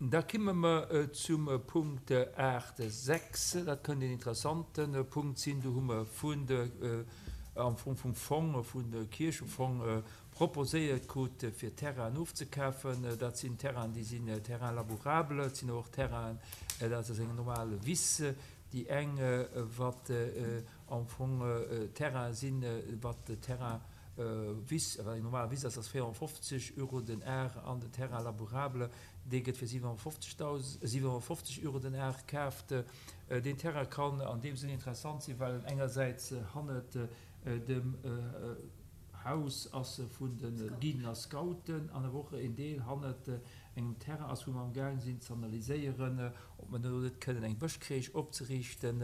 Da kimme mer zum Punkt 8, 6. Dat kënnt een interessante Punkt sinn. Do hu mer vun de, am Fong vum Fong, vun de Kierchefong proposéiert krut, fir Terrainen ofzekafen. Dat sinn Terrainen, déi sinn Terrains labourables, et sinn awer och Terrainen, dat ass eng normal Wiss, déi eng, wat am Fong Terrainen sinn, wat Terrain Wiss, wat eng normal Wiss ass, ass 450 Euro den Ar an den Terrain labourable, dee gëtt fir 750 Euro den Ar kaaft. Deen Terrain kann an deem Sënn interessant sinn, well en engersäits hannert dem Haus ass vun de Guiden a Scouten an awer och een Deel hannert engem Terrain ass, wou mer am gaang sinn ze analyséieren, ob mer do net kënnen eng Bëschcrèche opzeriichten.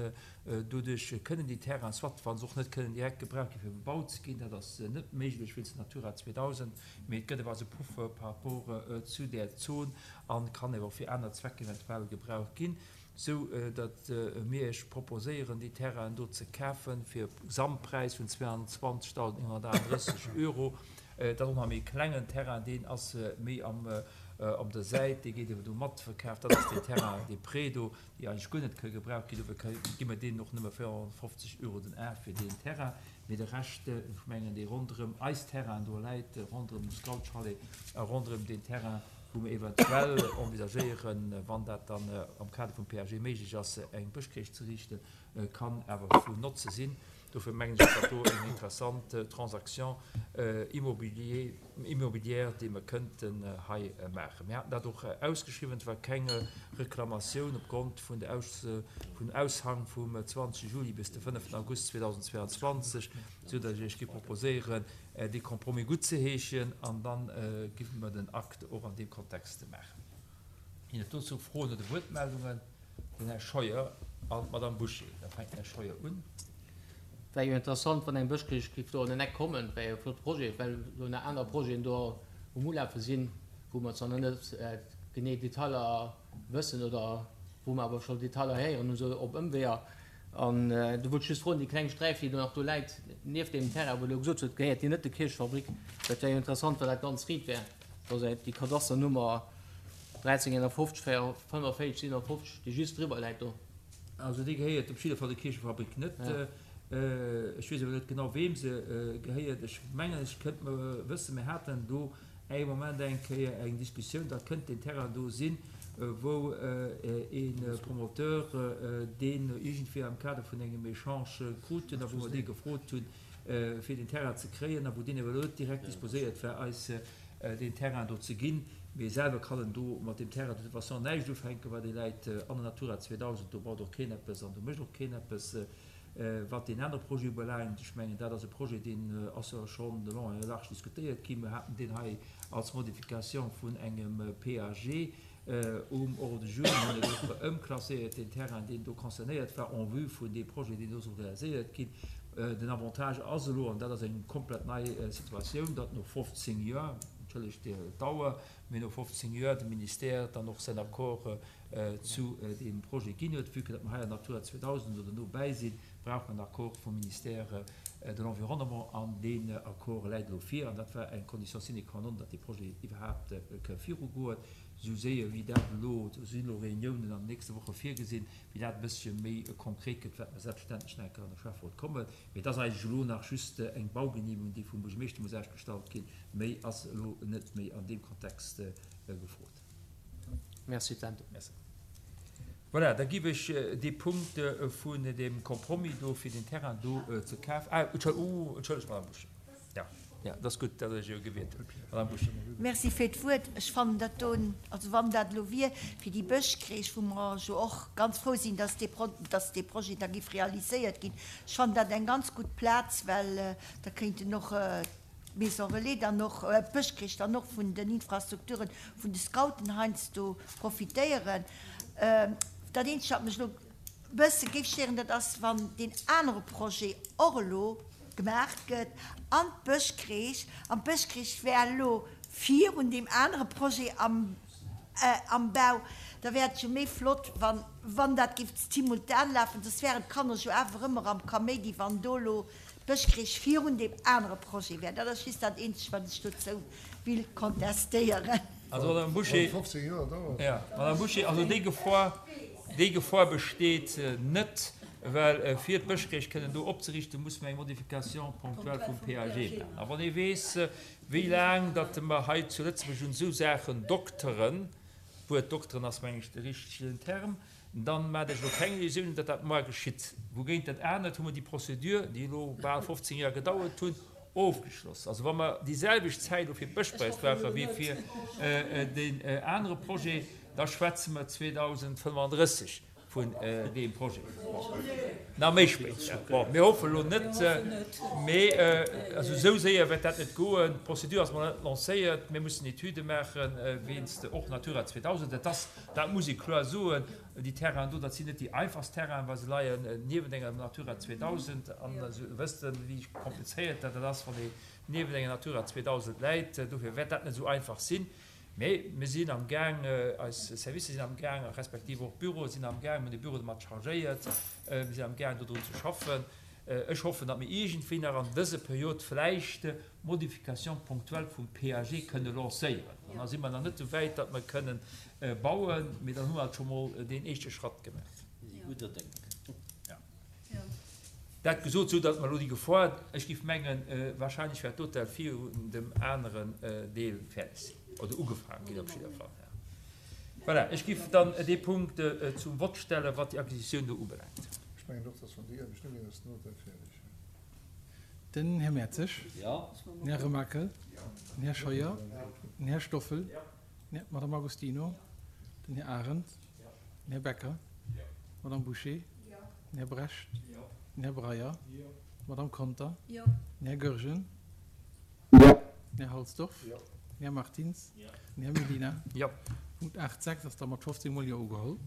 Doduerch kënnen déi Terrainen, soit wa se och net kënnen direkt gebraucht gi fir bebaut ze ginn, dat ass net méiglech wéinst Natura 2000, mee et gëtt awer als e Puffer par rapport zu där Zon a kann awer och fir aner Zwecker eventuell gebraucht ginn. Sou datt mir Iech proposéieren, déi Terrainen do ze kafen fir e Gesamtpräis vun 22.938 Euro. Dat ass och nach e méi klengen Terrain, deen ass méi am op der Säit, dee gétt ewer do matverkaaft. Dat ass deen Terrain, dee Pré do, déi eigentlech guer net ka gebraucht ginn. Dofir gi mer deenen och nëmme 450 Euro den Ar fir deen Terrain. Mee de Rescht, ech mengen, dee ronderëm eis Terrainen do läit, ronderëm de Scoutschalet a ronderëm deen Terrain, wou mer eventuell envisagéieren, wann dat dann am Kader vum PAG méiglech ass, eng Bëschcrèche ze riichten, kann awer vun Notze sinn. Dofir mengen ech, ass dat do eng interessant Transaction immobilière, déi mer kënnten hei maachen. Mir haten dat och ausgeschriwwen, et war keng Reklamatioun opgrond vun der vum Aushang vum 20 Juli bis de 5 August 2022, soudatt ech Iech géif proposéieren, dee Compromis guttzeheeschen an da géife mer den Akt och an deem Kontext maachen. Ginn et dozou Froen oder Wuertmeldungen? Den Här Scheuer an d'Madame Bouché. Da fänkt den Här Scheuer un. Wär jo interessant, wann eng Bëschkierch géif do an den Eck kommen. Wär jo e flotte Projet, well jo nach aner Projeten do um Ulafe sinn, wou mer zwar nach net genee Detailer wëssen oder wou mer awer scho Detailer héieren hu sou op Ëmweeër. An do wollt ech just froen, déi kleng Sträif, déi do nach do läit, nieft deem Terrain, wou Der elo gesot hutt, gehéiert déi net der Kierchefabrik? Dat wär jo interessant, wann dat ganz riit wär, dass déi Kadasternummer 1351 45 57, déi just driwwer läit do. Also déi gehéiert op jidde Fall der Kierchefabrik net. Ech weess awer net genau, weem se gehéiert. Ech mengen, ech kënnt mer wëssen, mir haten do ee Moment eng Kéier eng Diskussioun, dat kënnt deen Terrain do sinn, wou ee Promoteur deen iergendwéi am Kader vun engem Echange krut hunn a wou mer dee gefrot hunn, fir deen Terrain ze kréien a wou deen awer elo net direkt disposéiert war, eis deen Terrain do ze ginn. Mee selwer kann en do mat deem Terrain de toute façon näischt ufänken, well dee läit an der Natura 2000, do baut och keen eppes an do mécht och keen eppes. Wat deen anere Projet ubelaangt, ech mengen, dat ass e Projet, deen ass jo schonn de long en large diskutéiert ginn. Mir haten deen hei als Modification vun engem PAG um Ordre du jour. Mir hunn et och ëmklasséiert, deen Terrain, deen do concernéiert war, en vue vun deem Projet, deen do soll realiséiert ginn. Den Avantage ass elo, an dat ass eng komplett nei Situatioun, datt no 15 Joer, entschëllegt d'Dauer, mee no 15 Joer de Ministère dann och säin Accord zu deem Projet ginn huet. Vue que datt mer hei an Natura 2000 oder no bäi sinn, brauch mer en Accord vum Ministère de l'Environnement an deen Accord läit elo vir. An dat war eng Condition sine qua non, datt dee Projet iwwerhaapt ka virugoen. Esou séier wéi dat elo, do sinn elo Réuniounen an den nächste Woche virgesinn, wéi dat e bëssche méi konkret gëtt, wäerte mer selbstverständlech nach eng Kéier an de Schäfferot kommen. Mee et ass eigentlech elo nach just eng Baugenehmegung, déi vum Buergermeeschter muss ausgestallt ginn. Méi ass elo net méi an deem Kontext gefrot. Merci Tendo. Merci. Voilà, da giff ech dee Punkt vun deem Compromis do fir den Terrain do ze kafen, ah, entschëllegt, Madame Bouché. Jo, jo, dat ass gutt, datt Der Iech elo gewiert hutt. Madame Bouché. Merci fir d'Wuert. Ech fannen dat do, also wann dat elo wier fir déi Bëschcrèche, wou mer jo och ganz frou sinn, dass dee Pro, dass dee Projet da giff realiséiert ginn, ech fannen dat eng ganz gutt Plaz, well da kéinten och d'Maison Relais dann och, d'Bëschcrèche dann och vun den Infrastrukturen vun de Scouten heiansdo profitéieren. Dat eenzegt, wat mech elo e bësse géif stéieren, dat ass, wann deen anere Projet och elo gemaach gëtt an d'Bëschcrèche, an d'Bëschcrèche wär elo virun deem anere Projet am am Bau, da wär et jo méi flott, wann, wann dat géif simultan lafen, soss wären d'Kanner jo awer ëmmer am Kaméidi, wann do elo D'Bëschcrèche virun deem anere Projet wär. Dat ass just dat eenzegt, wat ech dozou will contestéieren. Also, Madame Bouché, ja, Madame Bouché, also déi Gefor, déi Gefor besteet net, well fir d'Bëschkréich kënnen do opzeriichten, muss mer eng Modification ponctuelle vum PAG maachen. A wann ee weess, wéi laang datt mer hei zu Lëtzebuerg un esou Saachen dokteren, d'Wuert dokteren ass, meng ech, de richtegen Term, Dann maacht Iech elo keng Illusiounen, datt dat moar geschitt. Wougéint dat anert hu mer déi Procédure, déi elo bal 15 Joer gedauert hunn, ofgeschloss. Also wa mer déi selwecht Zäit elo fir d'Bëschpräis brauche wéi fir deen anere Projet, da schwätze mer 2035 vun deem Projet. Bon, nach méi spéit. Bon, mir hoffen elo net, mee also esou séier wäert dat net goen. D'Procédure ass mol net lancéiert. Mir mussen Etüde maachen, wéinst och Natura 2000. Dat ass Dat muss ee kloer soen. Déi Terrainen do, dat sinn net déi einfachst Terrainen, well se leien niewent enger Natura 2000. An se wëssen, wéi komplizéiert dat ass, wann ee niewent enger Natura 2000 läit. Dofir wäert dat net esou einfach sinn. Mee mir sinn am Gaang, eis Servicer sinn am Gaang, respektiv och d'Büroe sinn am Gaang, mir hunn de Büro domat chargéiert, mir sinn am Gaang, dodrun ze schaffen. Ech hoffen, datt mir iergendwéi nach an dëser Period vläicht d'Modification ponctuelle vum PAG kënne lancéieren. An da si mer nach net esou wäit, datt mer kënnen bauen, mee dann hu mer alt scho mol deen éischte Schratt gemaach. Mir si gudder Déng. Jo. Dat gesot, sou datt mer elo déi Gefor, ech géif mengen, wahrscheinlech wäert d'Hotel virun dem aneren Deel fäerdeg sinn oder ugefaangen ginn op jidder Fall. Voilà, ech géif dann dee Punkt zum Vott stellen, wat déi Acquisitioun do ubelaangt. Ech mengen och, dass wann déi Aarbecht ugeet, ass den Hotel fäerdeg. Den Här Mertzig. Den Här Remakel. Den Här Scheuer. Den Här Stoffel. D'Madame Agostino. Den Här Arendt. Den Här Becker. D'Madame Bouché. Den Här Brecht. Den Här Breyer. D'Madame Conter. Den Här Goergen. Den Här Halsdorf. Den Här Martins. Den Här Medina. Punkt 8, 6 ass da mat 15 mol Jo ugeholl.